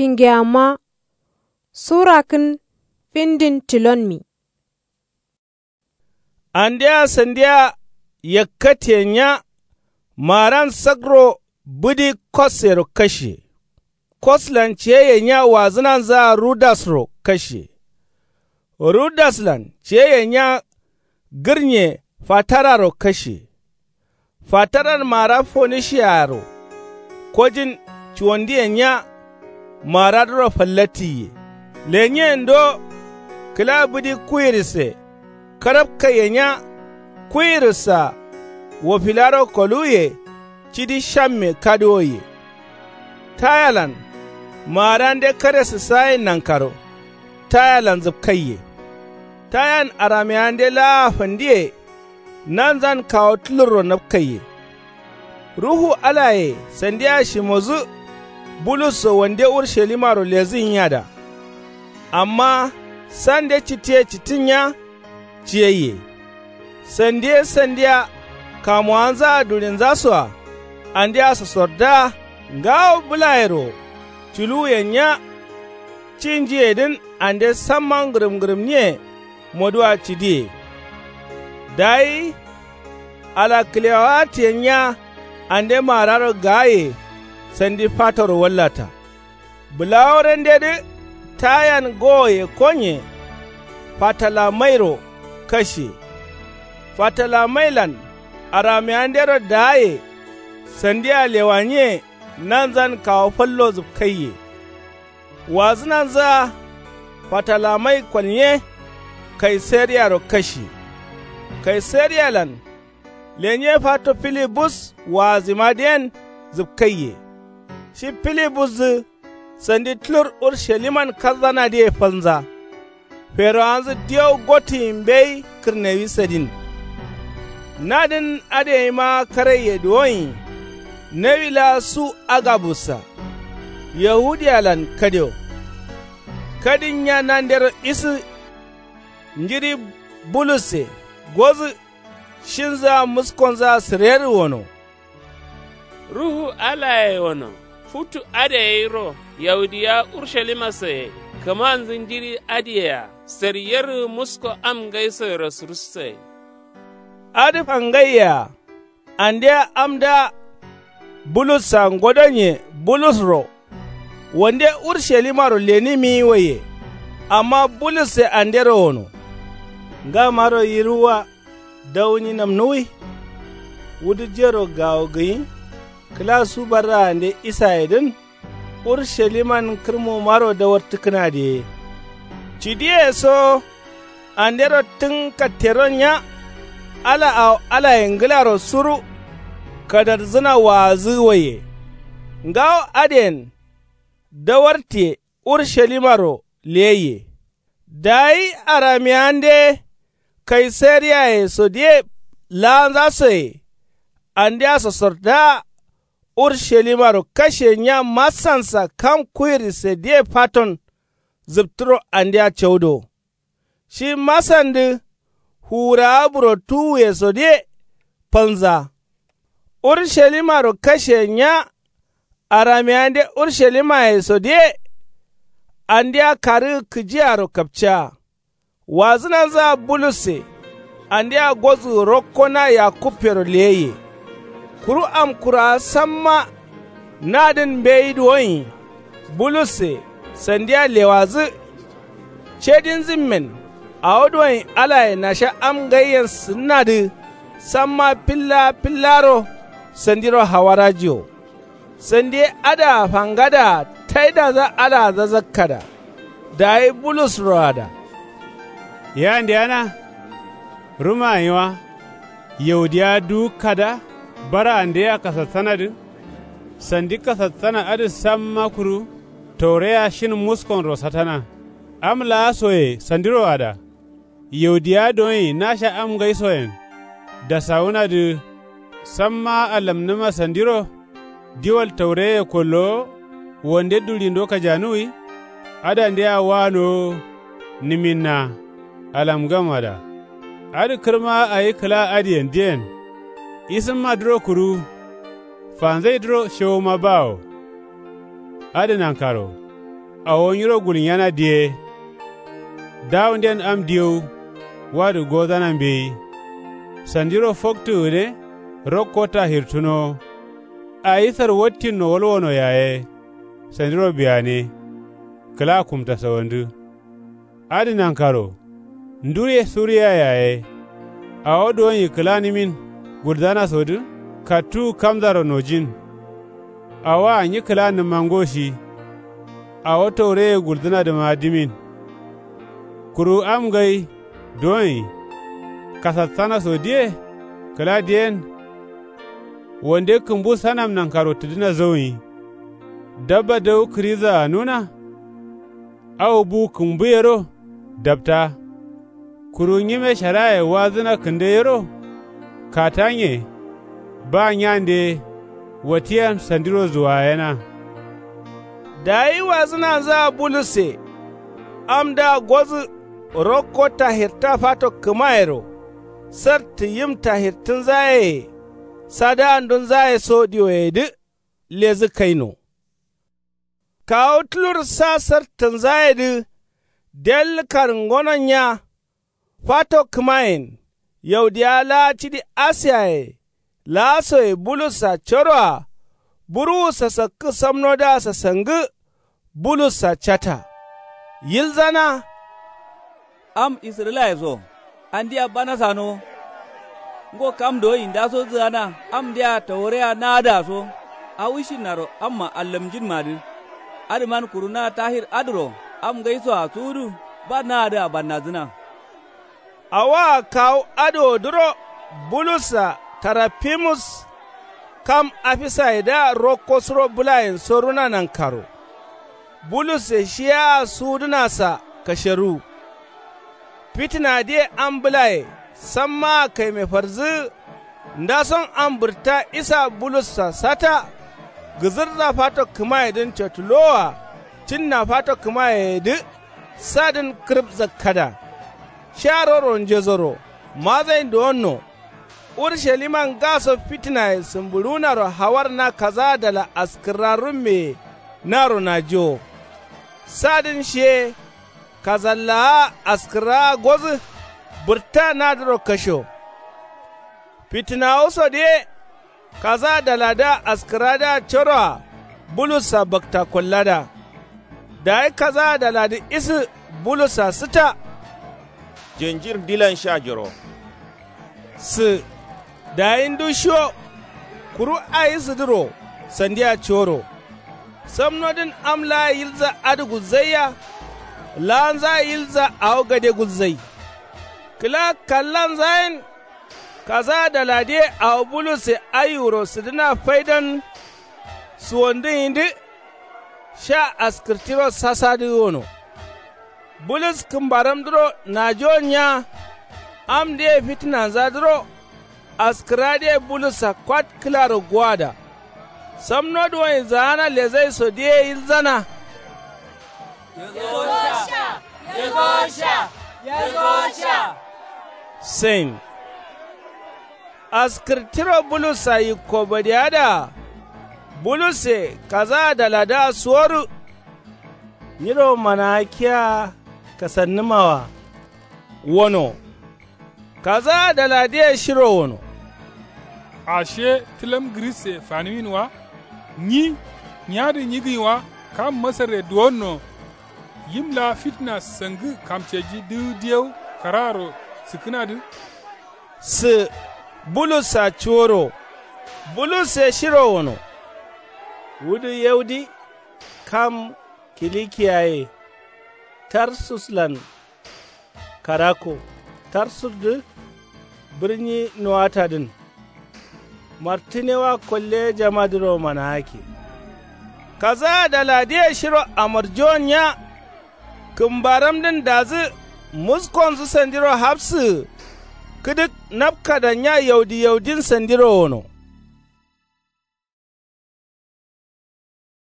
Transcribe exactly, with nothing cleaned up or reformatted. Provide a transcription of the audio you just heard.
Kingeyamma. Sura kǝn findin tilonmi. Andea sandia yakkatiye nya. Maaran sakro bǝdi kossero kashe. Koslan ciyeyye nya wazǝnanzǝa rudasro kashe. Rudaslan ciyeyye nya gǝrnye fatararo kashe. Fataran maara fonishiyaro kojin cuwandiye nya. Maaradǝro fallattiye lenyen do. Kǝla bǝdi kuwirisse karabkaiye nya. Kuwirissa wofilaro koluwuye cidi shamme kaduwoye. Tayalan maarande kare sǝssayen nankaro tayalan zǝpkaiye. Tayan arameyande laa fandiye nanzan kawo tǝlurro napkaiye. Ruhu alaye sandia shimodǝ bulusso wande urshalimaro lezǝ nyiada. Amma sande cittiye cittin nya. Ciyaiye sandiye sandia kamuwanzaa dulinzasoa andea sosordǝa ngawo bǝlayero culuwuyen nya. Cinjiyedǝn ande samma ngǝrǝm ngǝrǝmniye moduwa cidiye. Dayi ala kǝlewawattiyen nya ande maararo gaaye sandi fatoro wallata. Bǝlaworandedǝ tayan gowoye konye fatalamairo kashe. Fatalamailan arameyandero daaye sandia lewaniye nanzan kawo fallo zǝpkaiye. Wazǝnanzǝa fatalamai kolnye kaiseriyaro kashe. Kaiseriyalan lenye fato filibus waazimadǝyen zǝpkaiye. Shi filibusdǝ sandi tǝlur ursaliman kazzanadǝye falnza. Ferowanzǝ diyo gottiyi mbeyi kǝrnewi sadin. Nadǝn adǝ gaima karaiye duwonyi. Nawi laa su agabussa yahudiyalan kadio. Kadin nya nandero isǝ njiri bulusse gozǝ. Shinzǝa muskonzǝa sǝrerǝ wono. Ruhu alaye wono futu adǝ gairo yaudiya urshalima soye kǝmanzǝ njiri adǝyea sariyerǝ musko am ngaisoyero sǝrussoye. Adǝ fangaiye-a andea amda bulussa ngodonye bulusro wande urshalimaro lenimiyi waiye. Amma bulusse andero wono ngamaro yiruwwa dawunyi namnuwwi. Wudujero gawo gǝnyi kǝla su barraande isayedǝn urshaliman kǝrmomaro dawartǝkkǝnadǝ ye. Cidiye so andero tǝn katteron nya. Ala awo alaye ngǝlaro suru kadarzǝna waazǝ waiye. Ngawo adǝyen dawartiye urshalimaro leyaiye. Dayi arameyande kaisariyaye sodǝye laanza soye andea sosordaa urshalimaro kashe nya masansa kam kuwirisse diye faton. Zǝptǝro andea caudo shi masandǝ fuwurawa burotuwuye sodǝye falnza. Urshalimaro kashe nya. Arameyande ursshalimaye sodǝye andea karǝgǝ kǝjiyaro kapciya. Wazǝnanzǝa bulusse andea gozǝgǝ rokko na yakubbero leyaiye. Kuru amkurawa samma nadǝn mbeyi duwonyi bulusse sandia lewadǝ. Cedinzǝmmen awo duwonyi alaye nasha am ngaiyen sǝnnadǝ samma filla fillaro sandiro hawarajiwo. Sandi ye adǝa fangadaa taidaza aladǝ zakkada. Dayi bulusroada yayandeyana. Rǝma gǝnyi wa yaudiya duwukkada baraande yea kasatsanadǝ. Sandi kasatsana adǝ samma kuru taureya shin muskonro satana. Am laa soye sandiroada yaudiya duwonyi nasha am ngaisoyen dasawunadǝ. Samma alamnǝma sandiro diwal taureye kollowo wande duɍindo kajanuwwi. Adandea wanowo nǝminna alamngamada. Adǝ kǝrma awi kǝla adǝyendǝyen isǝmmadǝro kuru fanzaidǝro shewoma bawo. Adǝ nankaro Awo nyiro gulnyana diye. Dawunden am diyewu. Wadǝ gozana mbeyi. Sandiro foktu gǝne. Rokko tahirtunowo. Ayi sarwattinno walwono yaye. Sandiro biyane. Kǝla kumtasawandǝ. Adǝ nankaro. Nduye suriya yaye. Awo duwonyi kǝlanǝmin gulzanasodǝ. Kattuwu kamzaro nojin. Awoa nyi kǝlanǝmma ngo shi. Awo taureye gulzǝnadǝma dǝmin. Kuru am ngai. Duwonyi. Kasassana sodiye. Kǝla diyen. Wande kǝmbu sanam nankaro tǝdǝna zauyi. Dabba dawu kǝriza anuna. Awo bu kǝmbuyero. Dabta. Kuru nyime sharaye wazǝna kǝnde yero. Katanye. Ba nyande. Watiyan sandiro zuwayena. Dayi wazǝnanzaa bulusse. Amdǝa gozǝ. Rokko tahirta fato kǝmayero. Sartǝ yim tahirtǝnzayeye. Sadandunzaye so diwoyedǝ. Lezǝ kaino. Kawu tulur sa sartǝnzayedǝ. Del karngononya. Fato kǝmayen. Yaudiya laa cidi asiyaye. Laasoye bulussa coroa. Buruwu sasakkǝ samnodǝa sasangǝ. Bulussa cata. Yilzana. Am isǝrǝlaye so. Andia bana sanowo. Ngo kam doyi ndaso dǝgana amdea taworeya naadǝa so. Awishinnaro amma allamjinmadǝ. Adǝman kuru na tahir adǝro. Am ngai soa suwudǝ. Ba naadǝa bannadǝna. Awoa kawu adǝwodǝro. Bulussa tarafimus. Kam afisayedǝa rokko suro bǝlayen soruna nankaro. Bulusse shiyaa suwudǝnasa kasheruwu. Fitǝnadǝye am bǝlaye. Sammaa kaime farzǝgǝ. Ndason am bǝrta isa bulussa sata. Gǝzǝrza fato kǝmayedǝn cotǝlowoa. Cǝnna fato kǝmayeyedǝ. Sadǝn kǝrǝb zakkada. Sha roro njezoro. Mazain duwonno. Urushalima ngaso fitǝnaye sǝmbǝɍuwunaro hawar na kazaadala askǝrra rummeye. Naro najiwo. Sadǝn shiye. Kazallaa askǝrraa gozǝ. Bǝrta nadǝro kasho. Fitǝnawusodǝ ye. Kazaadaladǝa askǝrradǝa coroa. Bulussa bakta kollada. Dayi kazaadaladǝ isǝ. Bulussa sǝta. Jenjir ndilan sha joro. Sǝ. Dayi ndu shiwo. Kuru ayi sǝdǝro. Sandia cuworo. Samnodǝn am laa yilza adǝ gulzaiya. Laanza yilza awo gade gulzai. Kǝla kallanzayen. Kazaadaladǝye awo bulusse aiwuro sǝdǝna faidan. Suwandǝnyindǝ. Sha askǝrtiro sasadǝ wono. Bulus kǝmbaramdǝro najiwon nya. Amdǝye fitǝnanzadǝro. Askǝradǝye bulussa kwat kǝlaro guwada. Samno duwonyi zaana lezaisodǝye yilzana. Yesowo sha. Yesowo sha. Yesowo sha. Sain. Askǝr tiro bulussa yikko badiyadaa. Bulusse kazaadaladǝa suwodu. Nyiro manaakiya kasannǝmawa. Wono. Kazaadaladǝye shiro wono. Ashe tǝlam gǝrisse fanǝmin wa? Nyi nyiyadǝ nyigǝnyi wa? Kam masarre duwonno. Yim laa fitǝna sangǝ kamceji dǝgǝ diyau karaaro sǝkkǝnadǝ. Sǝ bulussa cuworo. Bulusse shiro wono. Wudǝ yaudi kam kilikiyaye. Tarsuslan karakko. Tarsusdǝ bǝrnyi nuwatadǝn. Martǝnewa kolle jamadǝro manaake. Kazaadaladǝye shiro amarjuwon nya. Kǝmbaramdǝn dazǝ muskonzǝ sandiro hafsǝgǝ. Kǝdǝk napkada nya yaudi yaudin sandiro wono.